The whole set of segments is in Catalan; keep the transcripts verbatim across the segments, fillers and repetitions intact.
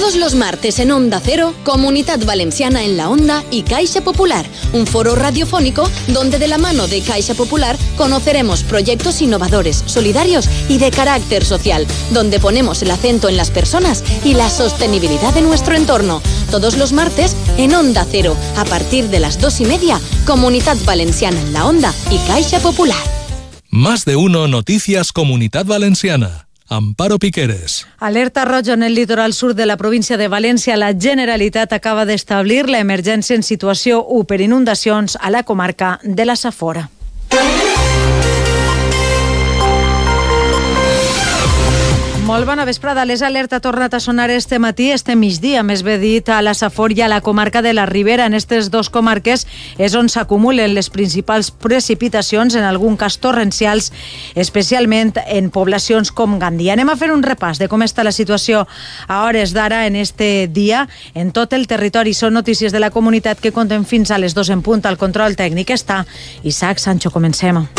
Todos los martes en Onda Cero, Comunidad Valenciana en la Onda y Caixa Popular, un foro radiofónico donde de la mano de Caixa Popular conoceremos proyectos innovadores, solidarios y de carácter social, donde ponemos el acento en las personas y la sostenibilidad de nuestro entorno. Todos los martes en Onda Cero, a partir de las dos y media, Comunidad Valenciana en la Onda y Caixa Popular. Más de uno Noticias Comunidad Valenciana. Amparo Piqueres. Alerta roja en el litoral sur de la província de València. La Generalitat acaba d'establir l'emergència en situació u per inundacions a la comarca de la Safor. Molt bona vesprada. L'alerta ha tornat a sonar este matí, este migdia, més bé dit, a la Safor i a la comarca de la Ribera. En aquestes dues comarques és on s'acumulen les principals precipitacions, en algun cas torrencials, especialment en poblacions com Gandia. Anem a fer un repàs de com està la situació a hores d'ara en este dia en tot el territori. Són notícies de la comunitat que compten fins a les dos en punt. Al control tècnic està Isaac Sancho. Comencem.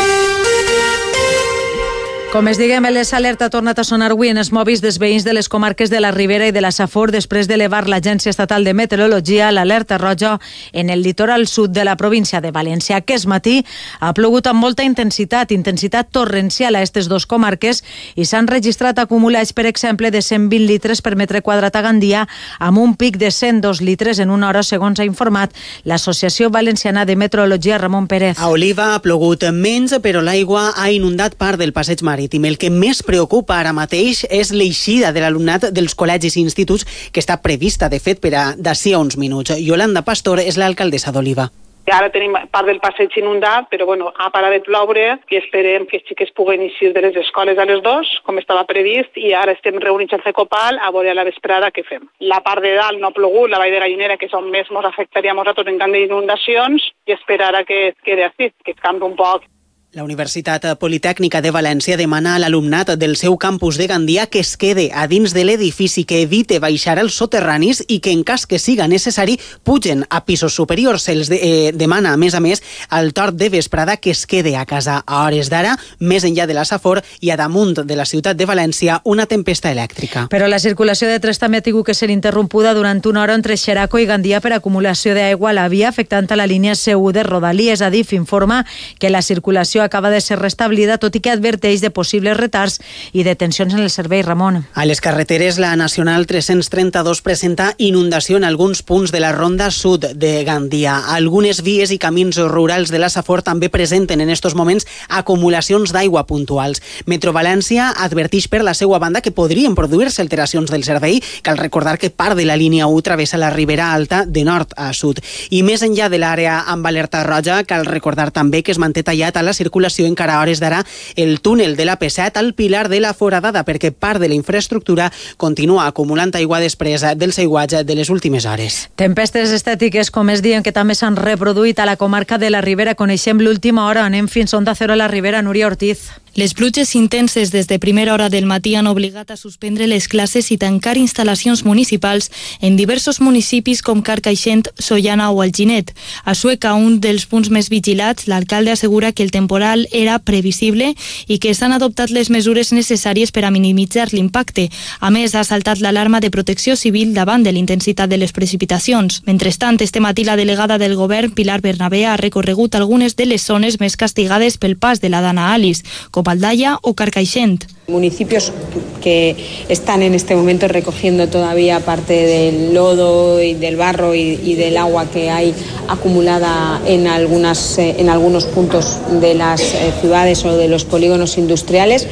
Com es diguem, l'alerta ha tornat a sonar avui en els mòbils dels veïns de les comarques de la Ribera i de la Safor després d'elevar l'Agència Estatal de Meteorologia l'alerta roja en el litoral sud de la província de València. Aquest matí ha plogut amb molta intensitat, intensitat torrencial a aquestes dues comarques i s'han registrat acumulats, per exemple, de cent vint litres per metre quadrat a Gandia, amb un pic de cent dos litres en una hora, segons ha informat l'Associació Valenciana de Meteorologia. Ramon Pérez. A Oliva ha plogut menys, però l'aigua ha inundat part del passeig marítim. El que més preocupa ara mateix és l'eixida de l'alumnat dels col·legis i instituts, que està prevista, de fet, per a d'ací a uns minuts. Yolanda Pastor és l'alcaldessa d'Oliva. Ara tenim part del passeig inundat, però bueno, ha parat de ploure i esperem que els xiques puguen eixir de les escoles a les dos, com estava previst, i ara estem reunits al Cecopal a veure a la vesprada què fem. La part de dalt no ha plogut, la vall de Gallinera, que és on més ens afectaria a nosaltres en camp d'inundacions, i esperar a que es quede així, que es canvi un poc. La Universitat Politècnica de València demana a l'alumnat del seu campus de Gandia que es quede a dins de l'edifici, que evite baixar als soterranis i que, en cas que siga necessari, pugen a pisos superiors. Se'ls de, eh, demana, a més a més, al torn de vesprada que es quede a casa. A hores d'ara, més enllà de la Safor i a damunt de la ciutat de València, una tempesta elèctrica. Però la circulació de trens també ha tingut que ser interrompuda durant una hora entre Xeraco i Gandia per acumulació d'aigua a la via, afectant a la línia C u de Rodalies. Adif informa que la circulació acaba de ser restablida, tot i que adverteix de possibles retards i detencions en el servei. Ramon. A les carreteres, la Nacional tres-cents trenta-dos presenta inundació en alguns punts de la ronda sud de Gandia. Algunes vies i camins rurals de la Safor també presenten en estos moments acumulacions d'aigua puntuals. Metro València adverteix per la seva banda que podrien produir-se alteracions del servei. Cal recordar que part de la línia u travessa la Ribera Alta de nord a sud. I més enllà de l'àrea amb alerta roja, cal recordar també que es manté tallat a la circulació encara a hores d'ara el túnel de la P set al Pilar de la Foradada, perquè part de la infraestructura continua acumulant aigua després del seguatge de les últimes hores. Tempestes estètiques, com es diuen, que també s'han reproduït a la comarca de la Ribera. Coneixem l'última hora. Anem fins a Onda Cero a la Ribera. Núria Ortiz. Les pluges intenses des de primera hora del matí han obligat a suspendre les classes i tancar instal·lacions municipals en diversos municipis com Carcaixent, Sollana o Alginet. A Sueca, un dels punts més vigilats, l'alcalde assegura que el temporal era previsible i que s'han adoptat les mesures necessàries per a minimitzar l'impacte. A més, ha saltat l'alarma de protecció civil davant de l'intensitat de les precipitacions. Mentrestant, este matí la delegada del govern, Pilar Bernabé, ha recorregut algunes de les zones més castigades pel pas de la Dana Alice, com Aldaya o Carcaixent. Municipios que están en este momento recogiendo todavía parte del lodo y del barro y, y del agua que hay acumulada en, algunas, eh, en algunos puntos de las eh, ciudades o de los polígonos industriales.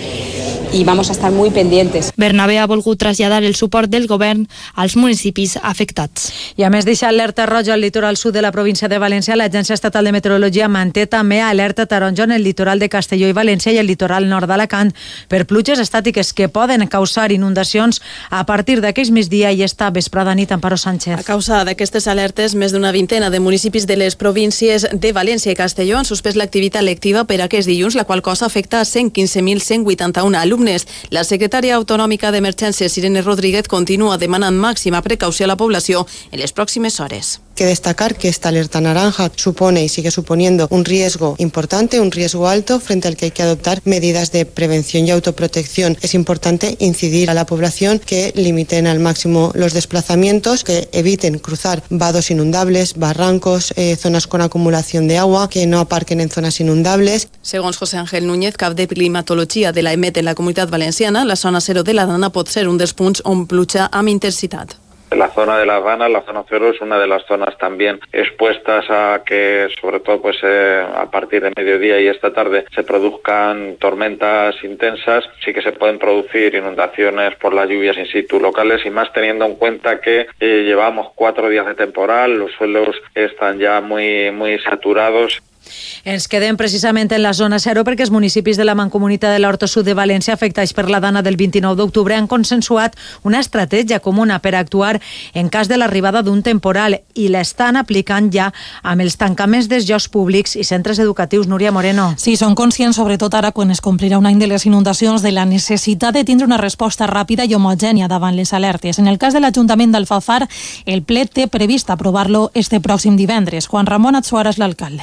I vamos a estar muy pendientes. Bernabé ha volgut traslladar el suport del govern als municipis afectats. I a més deixar alerta roja al litoral sud de la província de València, l'Agència Estatal de Meteorologia manté també alerta taronja en el litoral de Castelló i València i el litoral nord d'Alacant per pluges estàtiques que poden causar inundacions a partir d'aquest migdia i esta vesprada nit. Amparo Sánchez. A causa d'aquestes alertes, més d'una vintena de municipis de les províncies de València i Castelló han suspès l'activitat lectiva per aquest dilluns, la qual cosa afecta a cent quinze mil cent vuitanta-un alumnes. La secretària autonòmica d'Emergències, Irene Rodríguez, continua demanant màxima precaució a la població en les pròximes hores. que destacar que esta alerta naranja supone y sigue suponiendo un riesgo importante, un riesgo alto frente al que hay que adoptar medidas de prevención y autoprotección. Es importante incidir a la población que limiten al máximo los desplazamientos, que eviten cruzar vados inundables, barrancos, eh, zonas con acumulación de agua, que no aparquen en zonas inundables. Segons José Ángel Núñez, cap de climatologia de la E M E T en la Comunitat Valenciana, la zona cero de la Dana pot ser un dels punts on pluja amb intensitat. La zona de las Danas, la zona cero, es una de las zonas también expuestas a que, sobre todo pues eh, a partir de mediodía y esta tarde, se produzcan tormentas intensas. Sí que se pueden producir inundaciones por las lluvias in situ locales, y más teniendo en cuenta que eh, llevamos cuatro días de temporal, los suelos están ya muy, muy saturados. Ens quedem precisament en la zona zero perquè els municipis de la Mancomunitat de l'Horta Sud de València, afectats per la Dana del vint-i-nou d'octubre, han consensuat una estratègia comuna per actuar en cas de l'arribada d'un temporal, i l'estan aplicant ja amb els tancaments dels llocs públics i centres educatius. Núria Moreno. Sí, són conscients, sobretot ara quan es complirà un any de les inundacions, de la necessitat de tindre una resposta ràpida i homogènia davant les alertes. En el cas de l'Ajuntament d'Alfafar, el ple té previst aprovar-lo este pròxim divendres. Juan Ramón Atsuara és l'alcalde.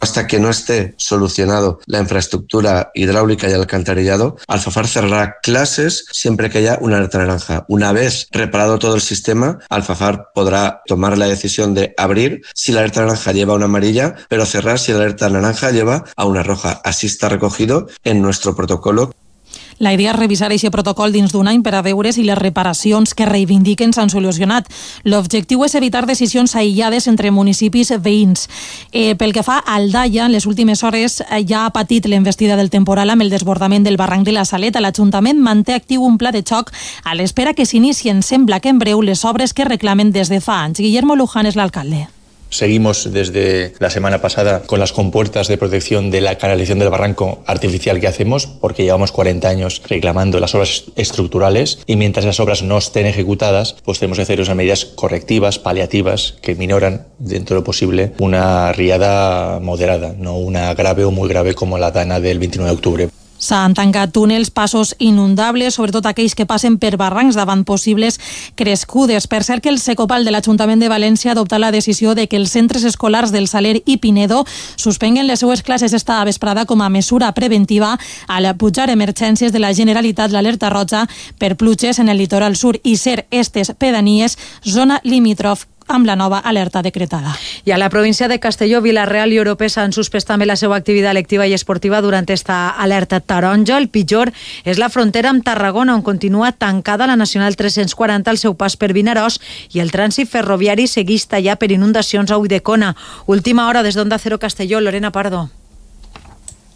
Hasta que no esté solucionado la infraestructura hidráulica y el alcantarillado, Alfafar cerrará clases siempre que haya una alerta naranja. Una vez reparado todo el sistema, Alfafar podrá tomar la decisión de abrir si la alerta naranja lleva una amarilla, pero cerrar si la alerta naranja lleva a una roja. Así está recogido en nuestro protocolo. La idea és revisar aquest protocol dins d'un any per a veure si les reparacions que reivindiquen s'han solucionat. L'objectiu és evitar decisions aïllades entre municipis veïns. Eh, pel que fa a Aldaia, en les últimes hores eh, ja ha patit l'envestida del temporal amb el desbordament del barranc de la Saleta. L'Ajuntament manté actiu un pla de xoc a l'espera que s'inicien, sembla que en breu, les obres que reclamen des de fa anys. Guillermo Luján és l'alcalde. Seguimos desde la semana pasada con las compuertas de protección de la canalización del barranco artificial que hacemos, porque llevamos cuarenta años reclamando las obras estructurales, y mientras las obras no estén ejecutadas, pues tenemos que hacer unas medidas correctivas, paliativas, que minoran dentro de lo posible una riada moderada, no una grave o muy grave como la Dana del veintinueve de octubre. S'han tancat túnels, passos inundables, sobretot aquells que passen per barrancs davant possibles crescudes. Per cert, que el Secopal de l'Ajuntament de València ha adoptat la decisió de que els centres escolars del Saler i Pinedo suspenguen les seues classes esta vesprada com a mesura preventiva al pujar emergències de la Generalitat l'alerta roja per pluges en el litoral sur i ser estes pedanies zona limítrof amb la nova alerta decretada. I a la província de Castelló, Vila-real i Oropesa han suspès també la seva activitat lectiva i esportiva durant esta alerta taronja. El pitjor és la frontera amb Tarragona, on continua tancada la Nacional tres-cents quaranta al seu pas per Vinaròs, i el trànsit ferroviari segueix tallat per inundacions a Ulldecona. Última hora des d'Onda Cero Castelló, Lorena Pardo.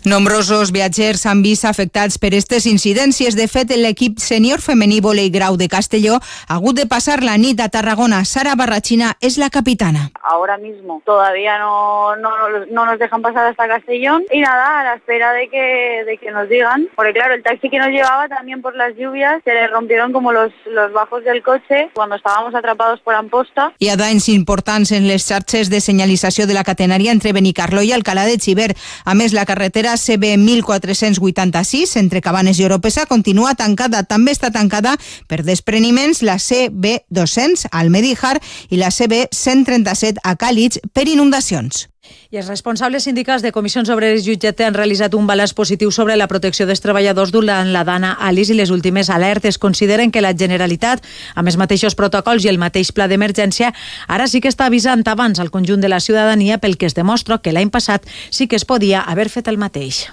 Nombrosos viatgers s'han vist afectats per aquestes incidències. De fet, l'equip sènior femení volei grau de Castelló ha hagut de passar la nit a Tarragona. Sara Barrachina és la capitana. Ahora mismo todavía no, no, no nos dejan pasar hasta Castellón, y nada, a la espera de que, de que nos digan, porque claro, el taxi que nos llevaba también por las lluvias se le rompieron como los, los bajos del coche cuando estábamos atrapados por Amposta. Hi ha danys importants en les xarxes de senyalització de la catenària entre Benicarló i Alcalá de Xiver. A més, la carretera C B mil quatre-cents vuitanta-sis entre Cabanes i Oropesa continua tancada. També està tancada per despreniments la C B dos-cents al Medíjar i la C B cent trenta-set a Càlig per inundacions. I els responsables sindicals de Comissions Obreres i U G T han realitzat un balanç positiu sobre la protecció dels treballadors durant la Dana Alice i les últimes alertes. Consideren que la Generalitat, amb els mateixos protocols i el mateix pla d'emergència, ara sí que està avisant abans al conjunt de la ciutadania, pel que es demostra que l'any passat sí que es podia haver fet el mateix.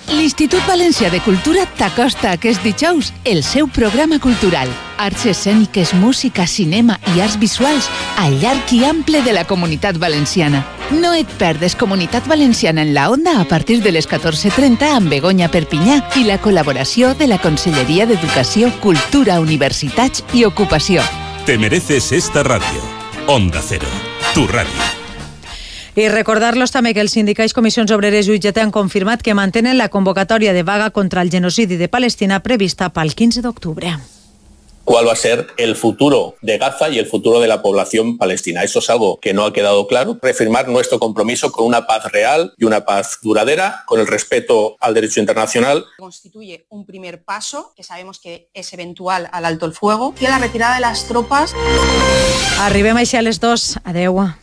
L'Institut Valencià de Cultura t'acosta aquest dijous el seu programa cultural. Arts escèniques, música, cinema i arts visuals al llarg i ample de la Comunitat Valenciana. No et perdes Comunitat Valenciana en la Onda a partir de les catorze trenta amb Begoña Perpinyà i la col·laboració de la Conselleria d'Educació, Cultura, Universitats i Ocupació. Te mereces esta radio. Onda Cero, tu radio. I recordar-los també que els sindicats Comissions Obreres i U G T han confirmat que mantenen la convocatòria de vaga contra el genocidi de Palestina prevista pel quinze d'octubre. cuál va a ser el futuro de Gaza y el futuro de la población palestina. Eso es algo que no ha quedado claro. Reafirmar nuestro compromiso con una paz real y una paz duradera, con el respeto al derecho internacional. Constituye un primer paso, que sabemos que es eventual al alto el fuego, y a la retirada de las tropas. Arribem així a les dos. Adeu.